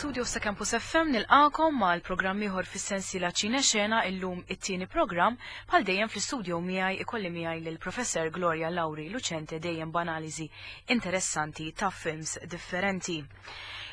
Mill-istudio sa' Campus FM nilqakom mal programm ieħor fis-sensiela Ċine Xena illum it-tieni programm bħal dejjem fl-istudio miegħi ikolli miegħi lil Professor Gloria Lauri Lucente dejjem b'analiżi interessanti ta' films differenti.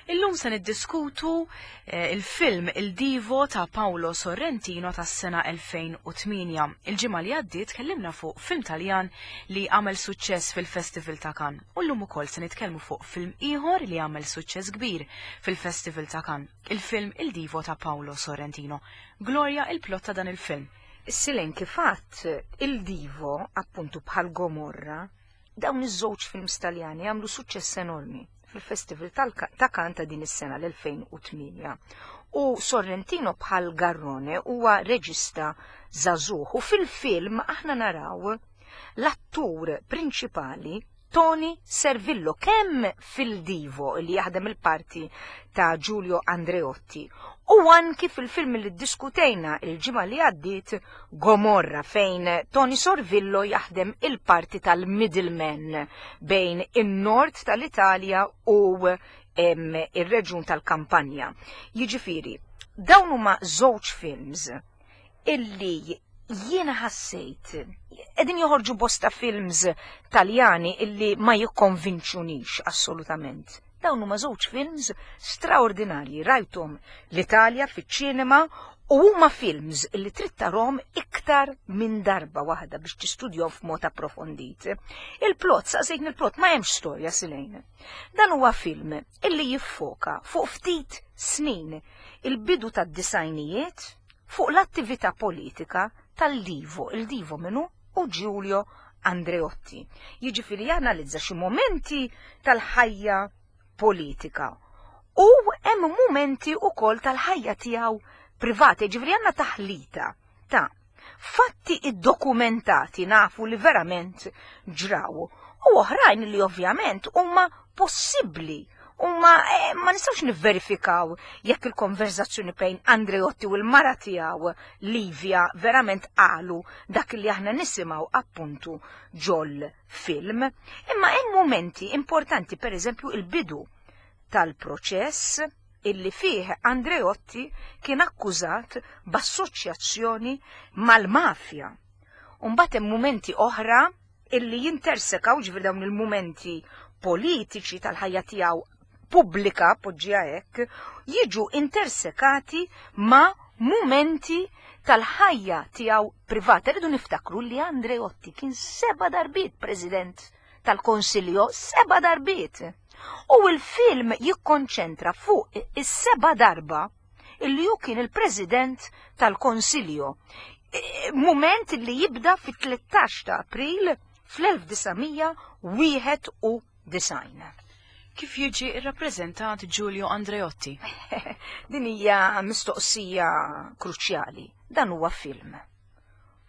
Illum se niddiskutu eh, il-film Il Divo ta' Paolo Sorrentino tas-sena 2008. Il-ġimgħa li għaddiet tkellimna fuq film Taljan li għamel suċċess fil-Festival ta' Cannes. U llum ukoll se nitkellmu fuq film ieħor li għamel suċċess kbir fil-Festival ta' Cannes, il-film Il Divo ta' Paolo Sorrentino. Gloria, il-plot ta' dan il-film. Silen kif għadt, Il Divo, appuntu bħal Gomorra, dawn iż-żewġ films Taljani għamlu suċċess enormi fil-Festival ta' Cannes ta' din is-sena l-2008. U Sorrentino bħal Garrone huwa reġista żagħżugħ u fil-film aħna naraw l-attur prinċipali Tony Servillo kemm fil-Divo li jaħdem il-parti ta' Giulio Andreotti u anki fil-film li ddiskutejna il-ġimgħa li għaddiet Gomorra fejn Tony Sorvillo jaħdem il-parti tal-middleman bejn in-nord tal-Italja u ir-reġjun tal-Kampanja. Jiġifieri, dawn huma żewġ films illi jiena ħassejt qegħdin joħorġu bosta films Taljani illi ma jikkonvinċunix assolutament. Dawn huma żewġ films straordinarji rajthom l-Italja fiċ-ċinema u huma films illi trid tarhom iktar minn darba waħda biex tistudjahom f'mod approfondit. Il-plot, saqsejtni il-plot, ma hemmx storja silejn. Dan huwa film illi jiffoka fuq ftit snin il-bidu tad-disajnijiet fuq l-attività politika tal-Divo, il-Divo minu u Giulio Andreotti. Jiġifieri janalizza xi momenti tal-ħajja politika u hemm momenti wkoll tal-ħajja tiegħu privata, jiġifieri għandna taħlita ta' fatti iddokumentati nafu li verament ġraw u oħrajn li ovvjament huma possibbli huma eh, ma nistgħux nivverifikaw jekk il-konverzazzjoni bejn Andreotti u l-mara tiegħu Livia verament qalu dak li aħna nisimgħu appuntu ġol film. Imma hemm momenti importanti, pereżempju il-bidu tal-proċess illi fih Andreotti kien akkużat b'assoċjazzjoni mal-mafja. Umbagħad hemm mumenti oħra illi jintersekaw ġifieri dawn il-mumenti politiċi tal-ħajja tiegħu pubblika, poġġiha hekk, jiġu intersekati ma' mumenti tal-ħajja tiegħu privata. Rridu niftakru li Andreotti kien seba' darbiet president tal-Konsiljo, seba' darbiet. U l-film jikkonċentra fuq is-seba' darba illi hu kien il-president tal-Konsiljo. E, moment li jibda fit-13 ta' April fl-1991. Kif jiġi rrappreżentat Giulio Andreotti? Din hija mistoqsija kruċjali. Dan huwa film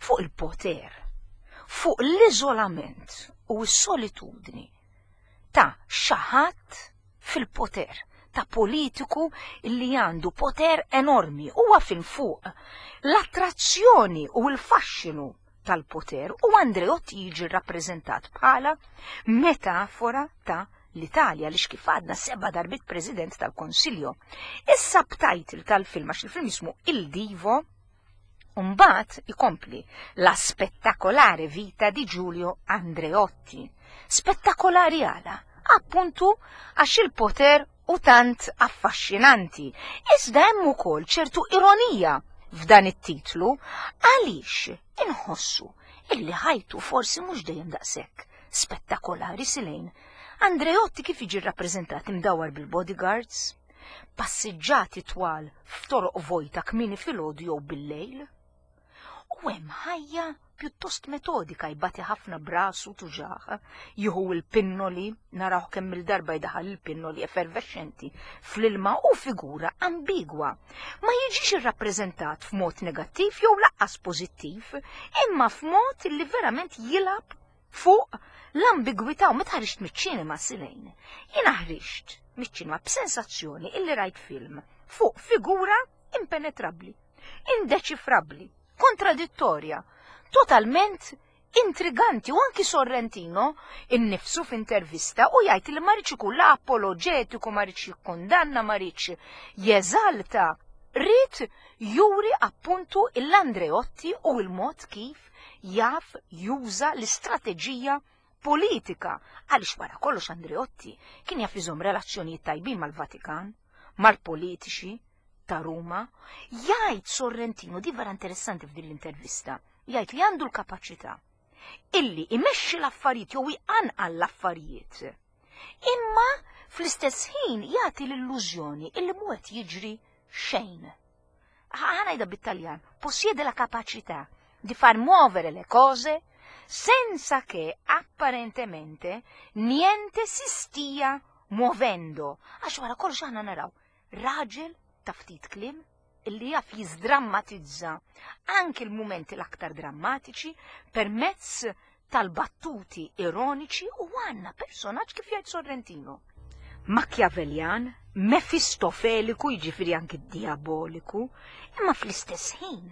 fuq il-poter, fuq l-iżolament u s-solitudni ta' xi ħadd fil-poter, ta' politiku li għandu poter enormi. Huwa film fuq l-attrazzjoni u l-faxxinu tal-poter u Andreotti jiġi rrappreżentat bħala metafora ta' l-Italja li kif għadna seba' darbiet President tal-Konsiljo. Is-subtitle tal-film għax il-film jismu Il Divo Umbagħad ikompli La spettacolare vita di Giulio Andreotti. Spettakolari għala? Appuntu għax il-poter u tant affaxxinanti. Iżda hemm ukoll ċertu ironija f'dan it-titlu għaliex inħossu illi ħajtu forsi mhux dejjem daqshekk spettakolari silejn. Andreotti kif jiġi rrappreżentat imdawwar bil-bodyguards, passiġġati twal f'toroq vojta kmieni filgħodu jew bil-lejl. U hemm ħajja pjuttost metodika jbati ħafna brasu tuġaħ, jieħu l-pinnoli, narawh kemm il-darba jdaħal il-pinnoli effervescenti fl-ilma u figura ambigwa. Ma jiġix irrappreżentat f'mod negattiv jew laqqas pożittiv, imma f'mod li verament jilgħab fuq l-ambigwità u meta ħriġt miċ-ċinema silejn. Jiena ħriġt miċ-ċinema b'sensazzjoni illi rajt film fuq figura impenetrabbli, indeċifrabbli, kontradittorja, totalment intriganti u anki Sorrentino innifsu f'intervista u jgħid li ma rridx ikun la apoloġetiku, ma rridx jikkundanna, ma rridx jeżalta. Ried juri appuntu l-Andreotti u l-mod kif jaf juża l-istrateġija politika għaliex wara kollox Andreotti kien jaf iżomm relazzjonijiet tajbin mal-Vatikan, mal-politiċi ta' Ruma. Jgħid Sorrentino, di vera interessanti f'din l-intervista, jgħid li għandu l-kapaċità illi imexxi l-affarijiet jew iqanqal l-affarijiet. Imma fl-istess ħin jagħti l-illużjoni illi mhu qed jiġri xejn. Ħa ngħidha bit-Taljan, possiede la capacità di far muovere le cose senza che apparentemente niente si stia muovendo. Għax wara kollox aħna naraw raġel ta' ftit kliem illi jaf jiżdrammatizza anki l-mumenti l-aktar drammatiċi permezz tal-battuti ironiċi u għandna personaġġ kif jgħid Sorrentino. Machiavellian, mefistofeliku, jiġifieri anki diaboliku, imma fl-istess ħin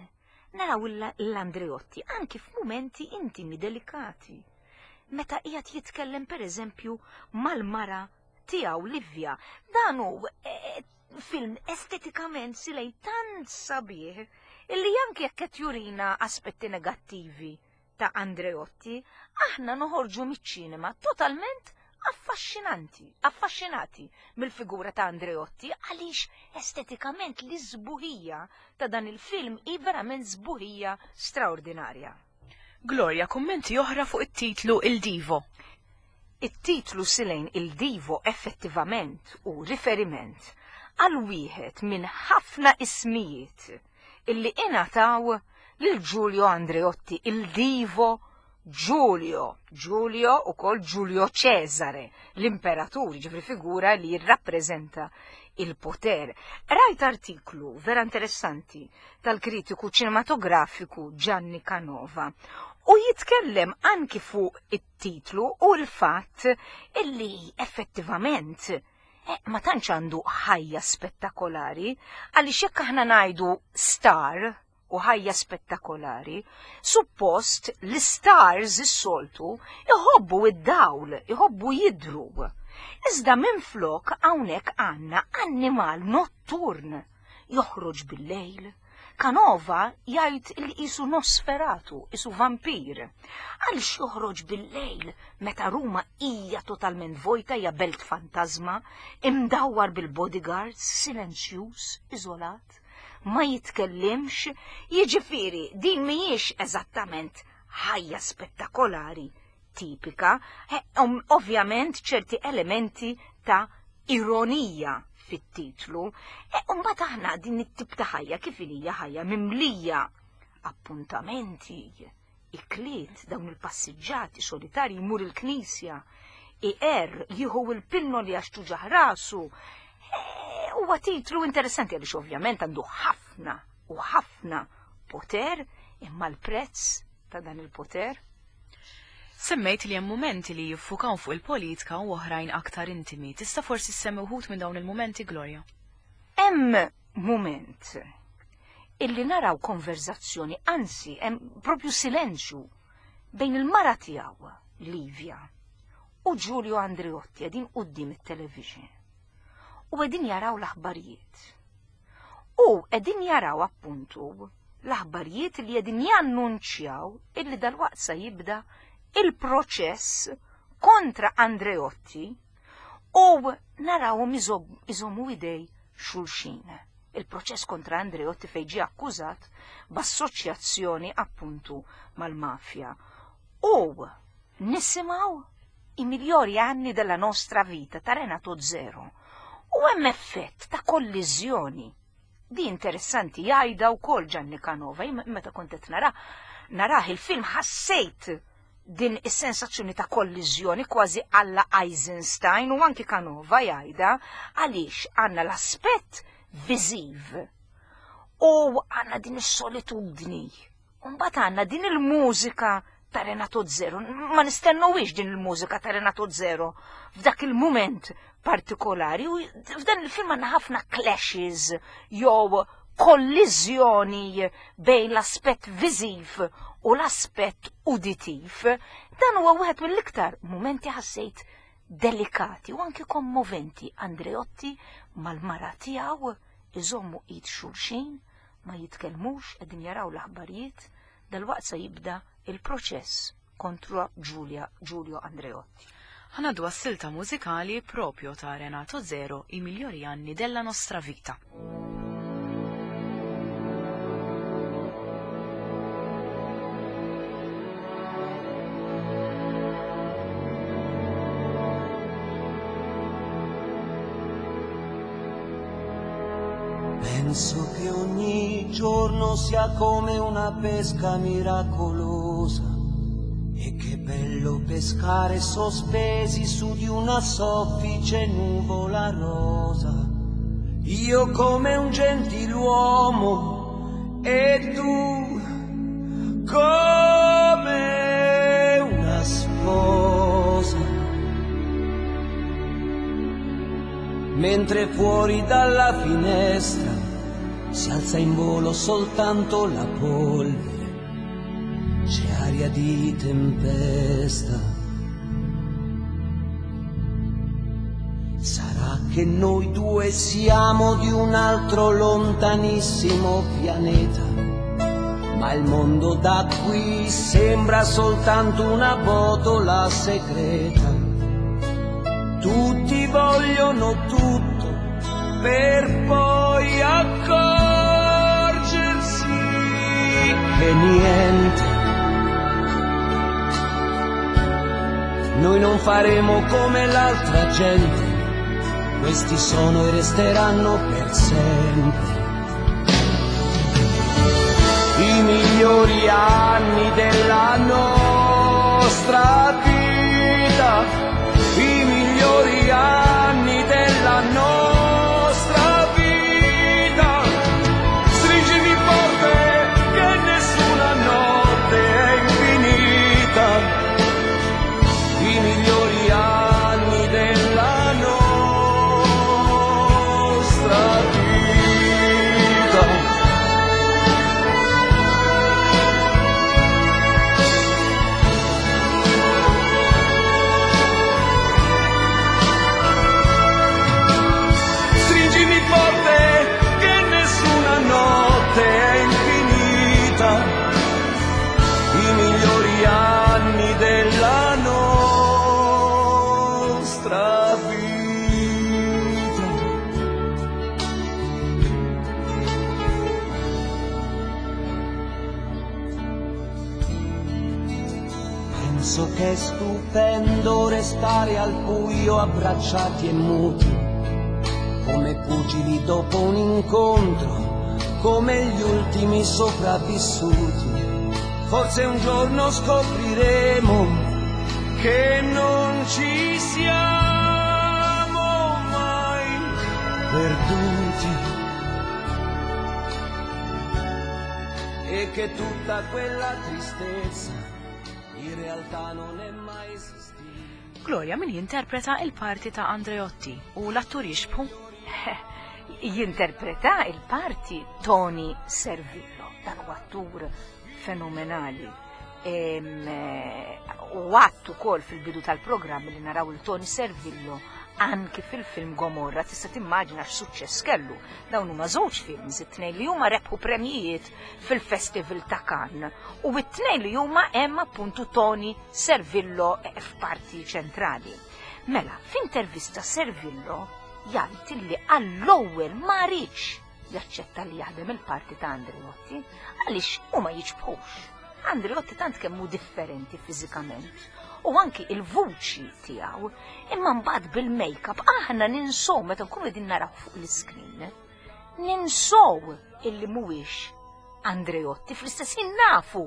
naraw l-Andreotti anki f'mumenti intimi delikati. Meta qiegħed jitkellem pereżempju mal-mara tiegħu Livia, dan hu eh, film estetikament silej tant sabiħ illi anki jekk qed jurina aspetti negattivi ta' Andreotti, aħna noħorġu miċ-ċinema totalment affaxxinanti, affaxxinati mill-figura ta' Andreotti għaliex estetikament l-isbuħija ta' dan il-film hi verament sbuħija straordinarja. Gloria, kummenti oħra fuq it-titlu Il Divo. It-titlu Silejn Il Divo effettivament hu riferiment għal wieħed minn ħafna ismijiet illi ingħataw lil Giulio Andreotti, il Divo Giulio, Giulio ukoll Giulio Cesare, l-imperatur, ġifri figura li jirrappreżenta il-poter. Rajt artiklu vera interessanti tal-kritiku ċinematografiku Gianni Canova u jitkellem anki fuq it-titlu u l-fatt illi effettivament eh, ma tantx għandu ħajja spettakolari għaliex jekk aħna ngħidu star u ħajja spettakolari, suppost l-stars is-soltu iħobbu id-dawl, iħobbu jidru. Iżda minflok hawnhekk għandna annimal notturn joħroġ bil-lejl. Canova jgħid li qisu Nosferatu, qisu vampir. Għaliex joħroġ bil-lejl meta Ruma hija totalment vojta, hija belt fantasma, imdawwar bil-bodyguards, silenzjuż, iżolat, ma jitkellimx, jiġifieri din mhijiex eżattament ħajja spettakolari tipika, eh, ovvjament ċerti elementi ta' ironija fit-titlu. E, mbagħad aħna din it-tip ta' ħajja kif hija ħajja mimlija appuntamenti, ikliet, dawn il-passiġġati solitarji jmur il-knisja, iqer, jieħu il-pinnoli għax tuġaħ rasu. E, huwa titlu interessanti għaliex ovvjament għandu ħafna u ħafna poter, imma l-prezz ta' dan il-poter. Semmejt li hemm mumenti li jiffukaw fuq il-politika u oħrajn aktar intimi. Tista' forsi ssemmi wħud minn dawn il-mumenti, Gloria? Hemm mument illi naraw konverzazzjoni, anzi, hemm propju silenzju bejn il-mara tiegħu, Livia, u Giulio Andreotti qegħdin quddiem it-television. U qegħdin jaraw l-aħbarijiet. U qegħdin jaraw appuntu l-aħbarijiet li qegħdin jannunċjaw illi dalwaqt sa jibda il-proċess kontra Andreotti u narawhom iżommu idej xulxin. Il-proċess kontra Andreotti fejn ġie akkużat b'assoċjazzjoni appuntu mal-mafja. U nisimgħu i migliori anni della nostra vita ta' Renato Zero. U hemm effett ta' kolliżjoni. Di interessanti jgħidha wkoll Gianni Canova, meta kont qed nara narah il-film ħassejt din is-sensazzjoni ta' kolliżjoni kważi alla Eisenstein u anki Canova jgħidha għaliex għandna l-aspett viżiv u għandna din is-solitudni. U mbagħad għandna din il-mużika ta' Renato Zero. Ma nistennuwix din il-mużika ta' Renato Zero f'dak il-mument partikolari. U f'dan il-film għandna ħafna clashes jew kolliżjoni bejn l-aspett viżiv u l-aspett uditiv, dan huwa wieħed mill-iktar mumenti ħassejt delikati u anki kommoventi. Andreotti mal-mara tiegħu iżommu id xulxin, ma jitkellmux, qegħdin jaraw l-aħbarijiet, dalwaqt se jibda il-proċess kontra Giulia Giulio Andreotti. Ħa ngħaddu għas-silta mużikali proprio ta' Renato Zero, I migliori anni della nostra vita. Penso che ogni giorno sia come una pesca miracolosa e che bello pescare sospesi su di una soffice nuvola rosa. Io come un gentiluomo e tu come una sposa. Mentre fuori dalla finestra si alza in volo soltanto la polvere, c'è aria di tempesta. Sarà che noi due siamo di un altro lontanissimo pianeta, ma il mondo da qui sembra soltanto una botola segreta. Tutti vogliono tutto per poi accorgersi che niente. Noi non faremo come l'altra gente, questi sono e resteranno per sempre. I migliori anni della nostra vita, i migliori anni della nostra vita. Stringimi forte che nessuna notte è infinita. I migliori anni della nostra vita. Stringimi forte che nessuna notte è infinita. I migliori anni della nostra vita. Penso che è stupendo restare al buio abbracciati e muti, come pugili dopo un incontro, come gli ultimi sopravvissuti. Forse un giorno scopriremo che non ci siamo mai perduti e che tutta quella tristezza in realtà non è mai esistita. Gloria, min jinterpreta il-parti ta' Andreotti u l-attur jixbħu? Jinterpreta il-parti Tony Servillo, dan huwa attur fenomenali. U għattu kol fil-bidu tal-programm li naraw il-Tony Servillo anki fil-film Gomorra, tista' timmaġina x'suċċess kellu. Dawn huma żewġ films, it-tnejn li huma rebħu premjijiet fil-Festival ta' Cannes u it-tnejn li huma hemm appuntu Tony Servillo f'parti ċentrali. Mela, f'intervista Servillo jgħid li għall-ewwel ma riedx jaċċetta li jaħdem il-parti ta' Andreotti għaliex huma jiġbħux. Andreotti tant kemm hu differenti fiżikament u anki il-vuċi tiegħu, imma mbagħad bil-make-up aħna ninsow meta nkunu qegħdin naraw fuq l-iskrin. Ninsow illi mhuwiex Andreotti, fl-istess ħin nafu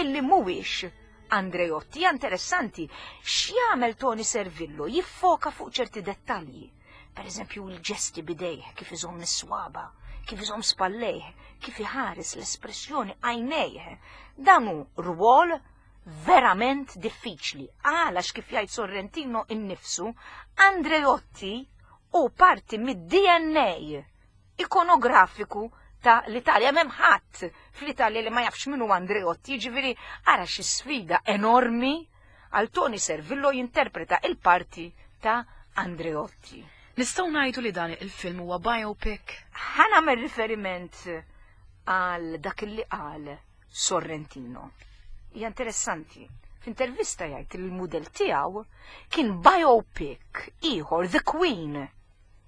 illi mhuwiex Andreotti. Hija interessanti x'jagħmel Tony Servillo, jiffoka fuq ċerti dettalji. Per eżempju, il-ġesti bidejh, kif iżomm is-swaba, kif iżomm spallejh, kif iħares l-espressjoni għajnejh. Dan hu rwol verament diffiċli. Għalax kif jgħid Sorrentino innifsu, Andreotti hu parti mid-DNA ikonografiku ta' l-Italja. M'hemm ħadd fl-Italja li ma jafx min hu Andreotti, jiġifieri ara xi sfida enormi għal Toni Servillo jinterpreta il-parti ta' Andreotti. Nistgħu ngħidu li dan il-film huwa biopic? Ħa nagħmel riferiment għal dak li qal Sorrentino. Hija interessanti. F'intervista jgħid li l-mudell tiegħu kien biopic ieħor The Queen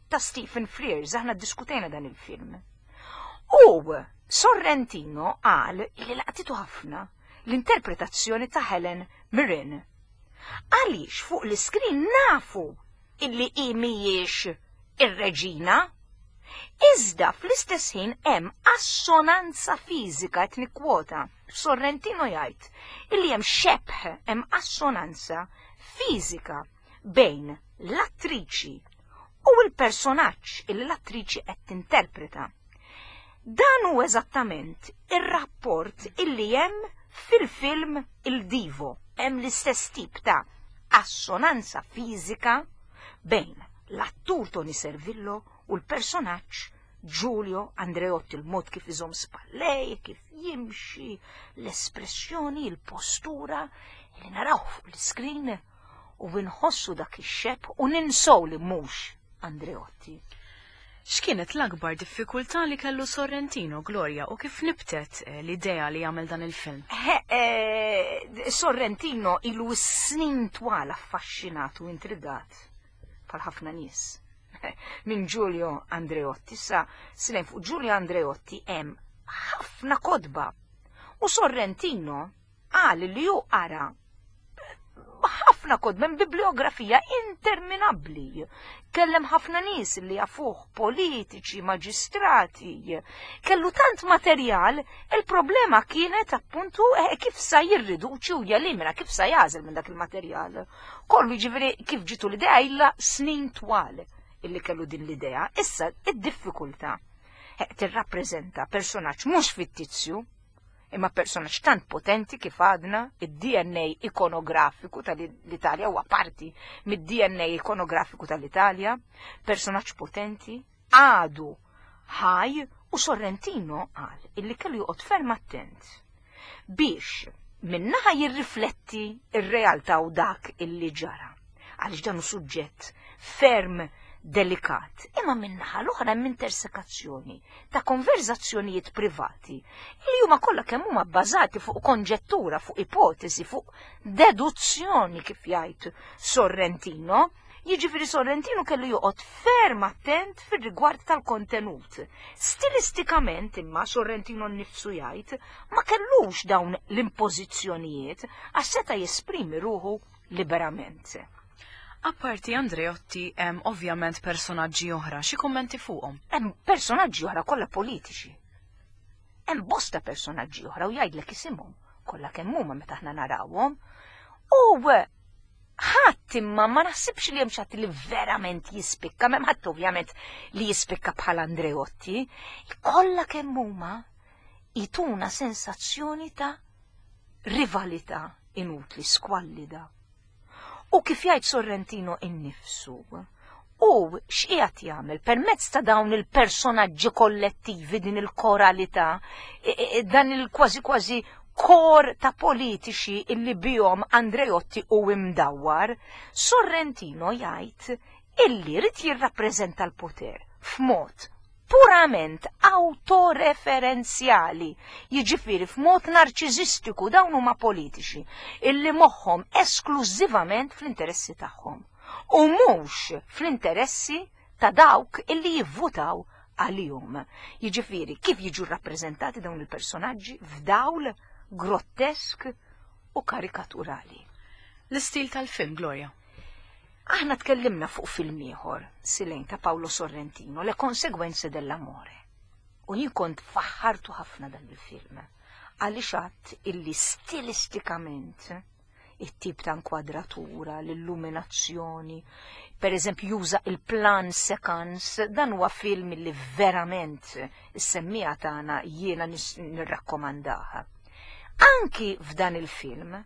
ta' Stephen Frears, aħna ddiskutejna dan il-film. U Sorrentino qal li laqtitu ħafna l-interpretazzjoni ta' Helen Mirren. Għaliex fuq l-iskrin nafu illi hi mhijiex ir-reġina, iżda fl-istess ħin hemm assonanza fiżika qed nikkwota. Sorrentino jgħid illi hemm xebh, hemm assonanza fiżika bejn l-attriċi u l-personaġġ illi l-attriċi qed tinterpreta. Dan hu eżattament ir-rapport illi hemm fil-film Il Divo. Hemm l-istess tip ta' assonanza fiżika bejn l-attur Toni Servillo u l-personaġġ Giulio Andreotti, il-mod kif iżomm spallej, kif jimxi, l-espressjoni, il-postura li naraw fuq l-iskrin u nħossu dak ix-xebh u ninsow li mhux Andreotti. X'kienet l-akbar diffikultà li kellu Sorrentino, Gloria, u kif nibtet l-idea li jagħmel dan il-film? Sorrentino ilu snin twal affaxxinat u intrigat bħal ħafna nies minn Giulio Andreotti. Issa snin fuq Giulio Andreotti hemm ħafna kotba. U Sorrentino qal li hu qara ħafna kotba minn bibliografija interminabbli. Kellem ħafna nies li jafuh, politiċi, maġistrati. Kellu tant materjal, il-problema kienet appuntu kif sa jirriduċi u jelimina, kif sa jażel minn dak il-materjal. Kollu jiġifieri kif ġitu l-idea illa snin twal illi kellu din l-idea. Issa id-diffikultà tirrappreżenta personaġġ mhux fittizju, imma personaġġ tant potenti kif għadna, id-DNA ikonografiku tal-Italja huwa parti mid-DNA ikonografiku tal-Italja, personaġġ potenti, għadu ħaj, u Sorrentino qal illi kellu joqgħod ferm attent biex minnaħa jirrifletti ir-realtà u dak illi ġara. Għaliex dan hu suġġett ferm delikat, imma minnaħa l-oħra hemm intersekazzjoni ta' konverzazzjonijiet privati li huma kollha kemm huma bbażati fuq konġettura, fuq ipotesi, fuq deduzzjoni kif jgħid Sorrentino. Jiġifieri Sorrentino kellu joqgħod ferm attent fir-rigward tal-kontenut. Stilistikament imma Sorrentino nnifsu jgħid ma kellux dawn l-impożizzjonijiet għax seta' jesprimi ruħu liberament. Apparti Andreotti hemm ovvjament personaġġi oħra, xi kummenti fuqhom? Hemm personaġġi oħra kollha politiċi. Hemm bosta personaġġi oħra u jgħidlek isimhom kollha kemm huma meta aħna narawhom. U ħadd imma ma naħsibx li hemm xi ħadd li verament jispikka, m'hemm ħadd ovvjament li jispikka bħal Andreotti, kollha kemm huma jtuna sensazzjoni ta' rivalità inutli, skwallida. U kif jgħid Sorrentino innifsu, u x'qiegħed jagħmel permezz ta' dawn il-personaġġi kollettivi, din il-koralità, dan il-kważi kważi kor ta' politiċi illi bihom Andreotti u imdawwar, Sorrentino jgħid illi rid jirrappreżenta l-poter f'mod purament autoreferenzjali, jiġifieri f'mod narċiżistiku. Dawn huma politiċi illi moħħhom esklużivament fl-interessi tagħhom u mhux fl-interessi ta' dawk illi jivvutaw għalihom. Jiġifieri kif jiġu rappreżentati dawn il-personaġġi f'dawl grottesk u karikaturali. L-istil tal-film, Gloria. Aħna tkellimna fuq film ieħor, Silejn ta' Paolo Sorrentino, Le Conseguenze dell'Amore. U jien kont faħħartu ħafna dan il-film. Għaliex għadt illi stilistikament it-tip ta' inkwadratura, l-illuminazzjoni, per eżempju juża il-plan sequence, dan huwa film li verament is-semmija tagħna jiena nirrakkomandaha. Anki f'dan il-film,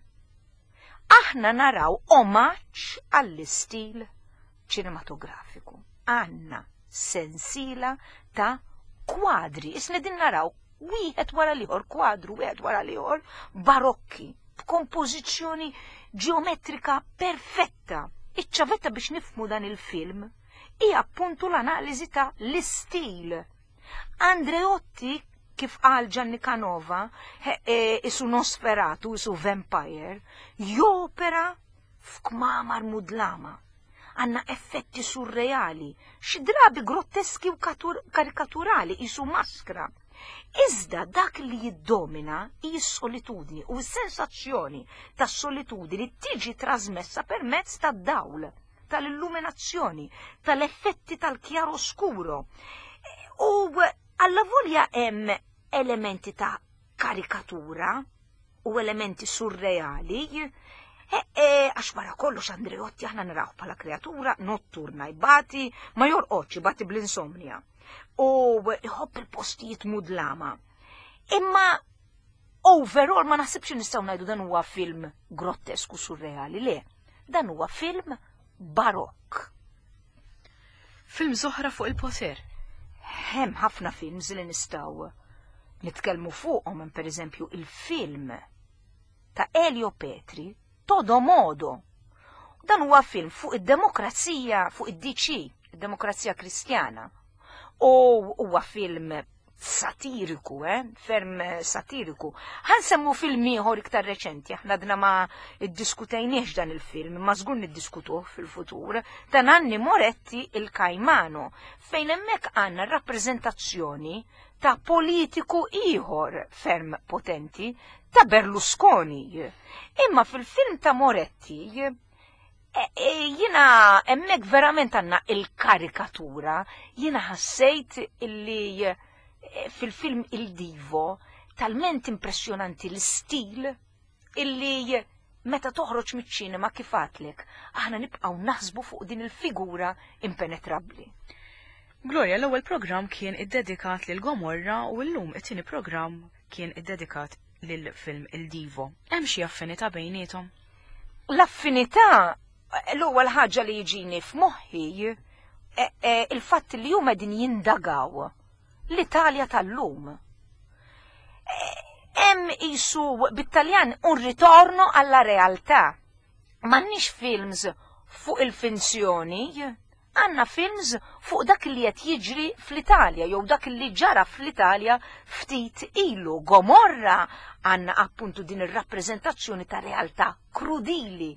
aħna naraw omaġġ għall-istil ċinematografiku. Għandna sensiela ta' kwadri, isna din naraw wieħed wara l-ieħor, kwadru wieħed wara l-ieħor, barokki, b'kompożizzjoni ġeometrika perfetta. Iċ-ċavetta biex nifhmu dan il-film hija appuntu l-analiżi ta' l-istil. Andreotti, kif qal Gianni Canova, isu Nosferatu, isu vampire, jopera f'kmamar mudlama. Għanna effetti surreali, xi drabi grotteski u karikaturali, isu maskra. Iżda dak li jiddomina hi s-solitudni u s-sensazzjoni tas-solitudni tiġi trasmessa permezz tad-dawl, tal-illuminazzjoni, tal-effetti tal-chiaroscuro. U allavolja hemm elementi ta' karikatura u elementi surreali, għax wara kollox Andreotti aħna narawh bħala kreatura notturna, jbati, ma jorqodx, jbati bl-insomnia. U jħobb il-postijiet mudlama. Imma overall ma naħsibx nistgħu ngħidu dan huwa film grottesku surreali, le. Dan huwa film barokk. Film oħra fuq il-poter. Hemm ħafna films li nistgħu nitkellmu fuqhom, hemm pereżempju il-film ta' Elio Petri, Todo Modo. Dan huwa film fuq id-demokrazija, fuq id-DC, id-demokrazija kristjana. U huwa film satiriku, ferm satiriku. Ħansemmu film ieħor iktar reċenti, aħna dna ma iddiskutejniex dan il-film, ma żgur niddiskutuh fil-futur, ta' Nanni Moretti il Caimano, fejn hemmhekk għandna rappreżentazzjoni ta' politiku ieħor ferm potenti, ta' Berlusconi. Imma fil-film ta' Moretti, jina hemmhekk verament għandna il-karikatura, jina ħassejt illi fil-film Il Divo talment impressjonanti l-istil illi meta toħroġ miċ-ċinema kif għatlek, aħna nibqgħu naħsbu fuq din il-figura impenetrabbli. Gloria, l-ewwel programm kien iddedikat lil Gomorra u llum it-tieni programm kien iddedikat lil film Il Divo. Hemm xi affinità bejniethom? L-affinità, l-ewwel ħaġa li jiġini f'moħħi il-fatt li huma din jindagaw l-Italja tal-lum. Hemm isu bit-Taljan un ritorno alla realtà. M'għandniex films fuq il-finzjoni, għandna films fuq dak li qed jiġri fl-Italja jew dak li ġara fl-Italja ftit ilu. Gomorra għandna appuntu din ir-rappreżentazzjoni ta' realtà krudili,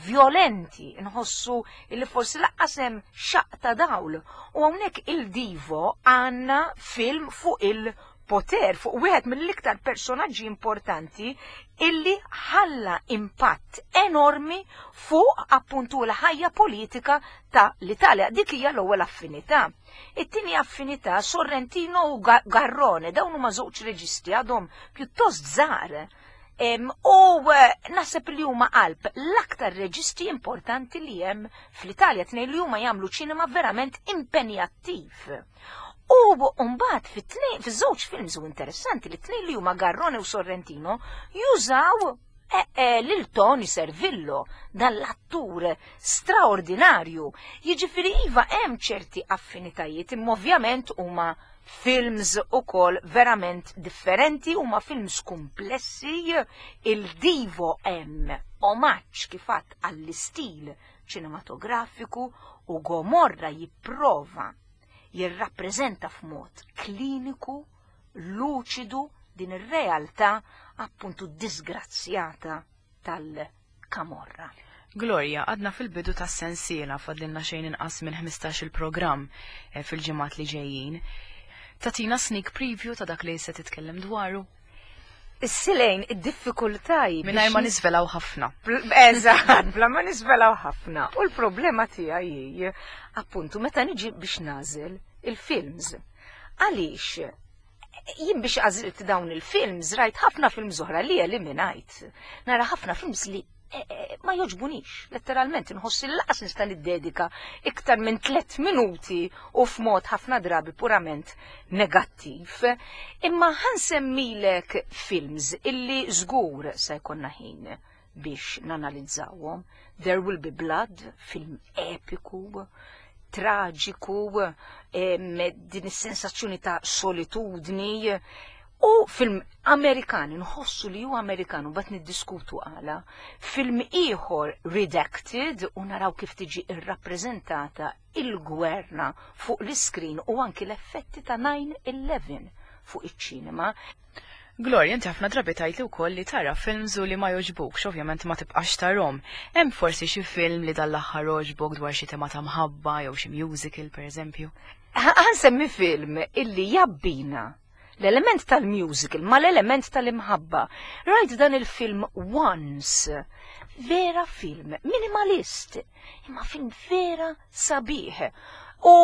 violenti, nħossu li forsi lanqas hemm xaq ta' dawl. U hawnhekk Il Divo għandna film fuq il-poter, fuq wieħed mill-iktar personaġġi importanti illi ħalla impatt enormi fuq appuntu l-ħajja politika ta' l-Italja. Dik hija l-ewwel affinità. It-tieni affinità, Sorrentino u Garrone, dawn huma żewġ reġisti għadhom pjuttost żgħar. U naħseb li huma qalb l-aktar reġisti importanti li hemm fl-Italja, tnejn li huma jagħmlu ċinema verament impenjattiv. U mbagħad fit-tnejn, fiż-żewġ films u interessanti li tnejn li huma Garrone u Sorrentino jużaw lil Tony Servillo, dan l-attur straordinarju. Jiġifieri iva hemm ċerti affinitajiet, imma ovvjament huma films ukoll verament differenti, huma films komplessi. Il Divo hemm omaġġ kif għadt għall-istil ċinematografiku u Gomorra jipprova jirrappreżenta f'mod kliniku, luċidu din ir-realtà appuntu disgrazzjata tal-Kamorra. Gloria, għadna fil-bidu tas sensiela, fadlilna xejn inqas minn 15 il-programm fil-ġimgħat li ġejjin. Tatina sneak preview ta' dak li se titkellem dwaru? Is-silejn, id-diffikultaj. Mingħajr ma nisvelaw ħafna. Eżatt, bla ma nisvelaw ħafna. U l-problema tiegħi hi, appuntu, meta niġi biex nażel il-films. Għaliex jien biex għażilt dawn il-films, rajt ħafna films oħra li eliminajt. Nara ħafna films li ma joġbunix, letteralment nħoss li lanqas nista' niddedika iktar minn 3 minuti u f'mod ħafna drabi purament negattiv. Imma ħansemmilek films illi żgur se jkollna ħin biex nanalizzawhom. There Will Be Blood, film epiku. traġiku, din is-sensazzjoni ta' solitudni, u film Amerikan, nħossu li huwa Amerikan u bat niddiskutu għala. Film ieħor Redacted u naraw kif tiġi irrappreżentata il-gwerra fuq l-iskrin u anki l-effetti ta' 9-11 fuq iċ-ċinema. Gloria, inti ħafna drabi tgħidli wkoll li tara films u li ma jogħġbukx, ovvjament ma tibqax tarhom. Hemm forsi xi film li dan l-aħħar għoġbok dwar xi tema ta' mħabba jew xi musical pereżempju? Ħa nsemmi film illi jabbina l-element tal-musical ma l-element tal-imħabba. Rajt dan il-film Once. Vera film minimalist, imma film vera sabiħ. U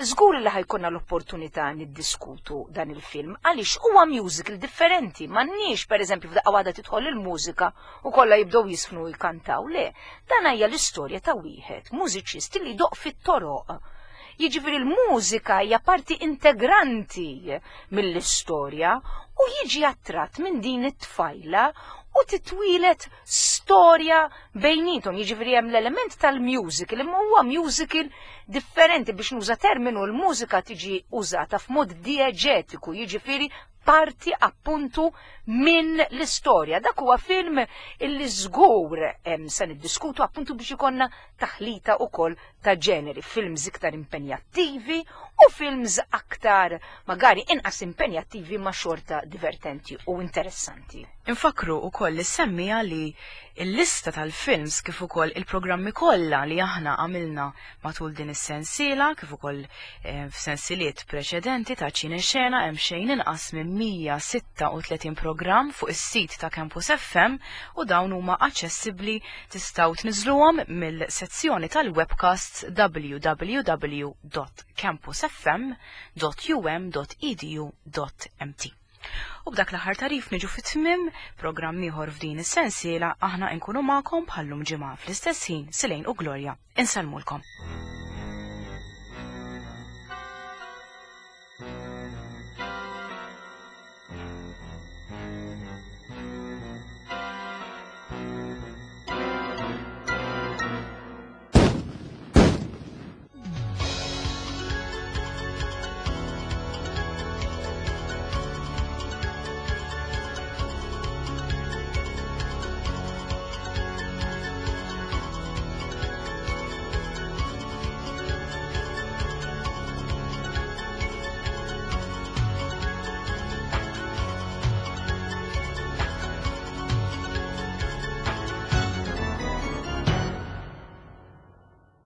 żgur li ħa jkollna l-opportunità niddiskutu dan il-film għaliex huwa musical differenti, m'għandniex pereżempju f'daqqa waħda tidħol il-mużika u kollha jibdew jiżfnu u jkantaw. Le, dan hija l-istorja ta' wieħed mużiċist li jdoqq fit-toroq. Jiġifieri l-mużika hija parti integranti mill-istorja u jiġi attratt minn din it-tfajla u titwieled storja bejnietom, jiġifieri hemm l-element tal-musical, imma huwa musical differenti biex nuża terminu l-mużika tiġi użata f'mod dieġetiku, jiġifieri parti appuntu minn l-istorja. Dak huwa film illi żgur se niddiskutu appuntu biex ikollna taħlita ukoll ta' ġeneri, films iktar impenjattivi u films aktar magari inqas impenjattivi ma' xorta divertenti u interessanti. Infakru ukoll li semmija li il-lista tal-films kif ukoll il-programmi kollha li aħna għamilna matul din is-sensiela kif ukoll f'sensiliet preċedenti ta' Ċine Xena hemm xejn inqas minn 136 programm fuq is-sit ta' Campus FM u dawn huma aċċessibbli tistgħu tniżluhom mill-sezzjoni tal-webcasts www.campusfm.um.edu.mt. U b'dak l-aħħar tagħrif niġu fit-tmiem programm ieħor f'din is-sensiela aħna nkunu magħkom bħallum ġimgħa fl-istess ħin Silejn u Gloria. Insellmulkom.